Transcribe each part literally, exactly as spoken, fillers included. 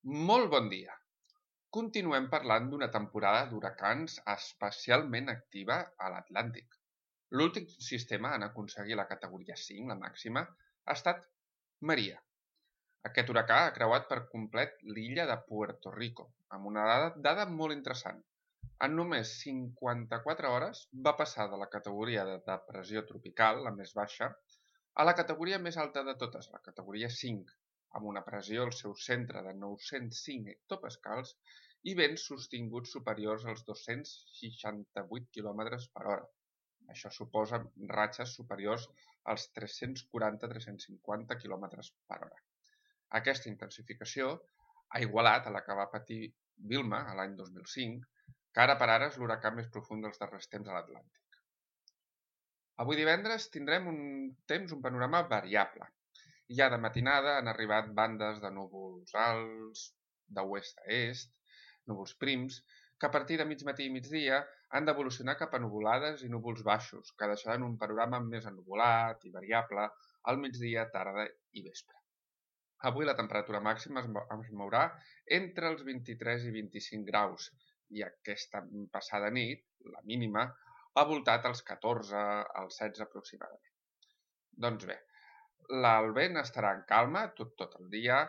Molt bon dia. Continuem parlant d'una temporada d'huracans especialment activa a l'Atlàntic. L'últim sistema en aconseguir la categoria cinc, la màxima, ha estat Maria. Aquest huracà ha creuat per complet l'illa de Puerto Rico, amb una dada, dada molt interessant. En només cinquanta-quatre hores va passar de la categoria de depressió tropical, la més baixa, a la categoria més alta de totes, la categoria cinc, amb una pressió al seu centre de nou-cents cinc hectopascals i vents sostinguts superiors als dos-cents seixanta-vuit quilòmetres per hora. Això suposa ratxes superiors als tres-cents quaranta a tres-cents cinquanta quilòmetres per hora. Aquesta intensificació ha igualat a la que va patir Vilma a l'any dos mil cinc, que ara per ara és l'huracà més profund dels darrers temps a l'Atlàntic. Avui divendres tindrem un temps, un panorama variable. Ja de matinada han arribat bandes de núvols alts, d'oest a est, núvols prims, que a partir de mig matí i migdia han d'evolucionar cap a nuvolades i núvols baixos, que deixaran un panorama més ennuvolat i variable al migdia, tarda i vespre. Avui la temperatura màxima es mourà entre els vint-i-tres i vint-i-cinc graus i aquesta passada nit, la mínima, ha voltat als catorze, als setze aproximadament. Doncs bé, el vent estarà en calma tot, tot el dia,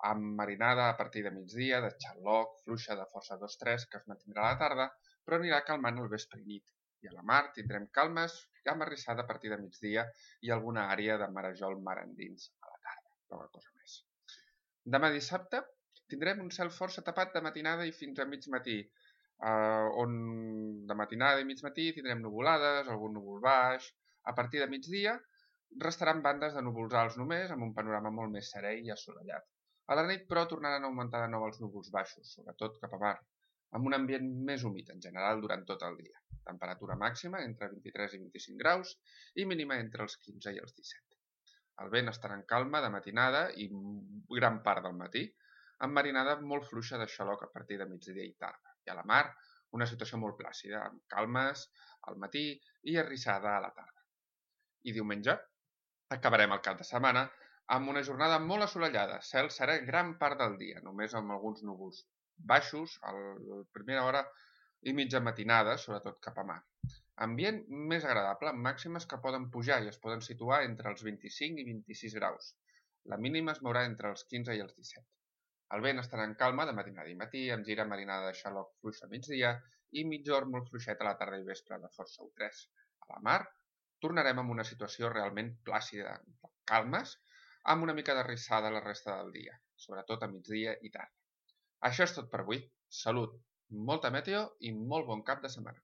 amb marinada a partir de migdia, de xaloc, fluixa de força dos tres, que es mantindrà a la tarda, però anirà calmant al vespre i nit. I a la mar tindrem calmes amb arrissada a partir de migdia i alguna àrea de marejol mar endins a la tarda, poca cosa més. Demà dissabte tindrem un cel força tapat de matinada i fins a mig matí, Uh, on de matinada i mig matí tindrem nuvolades, algun núvol baix. A partir de migdia restaran bandes de núvols alts només, amb un panorama molt més serè i assolellat. A la nit, però, tornaran a augmentar de nou els núvols baixos, sobretot cap a mar, amb un ambient més humit en general durant tot el dia. Temperatura màxima entre vint-i-tres i vint-i-cinc graus i mínima entre els quinze i els disset. El vent estarà en calma de matinada i gran part del matí, amb marinada molt fluixa de xaloc a partir de migdia i tarda. I a la mar, una situació molt plàcida, amb calmes al matí i arrissada a la tarda. I diumenge acabarem el cap de setmana amb una jornada molt assolellada, cel serè gran part del dia, només amb alguns núvols baixos a la primera hora i mitja matinada, sobretot cap a mar. Ambient més agradable, amb màximes que poden pujar i es poden situar entre els vint-i-cinc i vint-i-sis graus. La mínima es mourà entre els quinze i els disset. El vent estarà en calma de matinada i matí, amb gira marinada de xaloc fluixa a migdia i mitjorn molt fluixet a la tarda i vespre de força u tres. A la mar tornarem amb una situació realment plàcida, calmes, amb una mica d'arrissada la resta del dia, sobretot a migdia i tarda. Això és tot per avui. Salut, molta meteo i molt bon cap de setmana.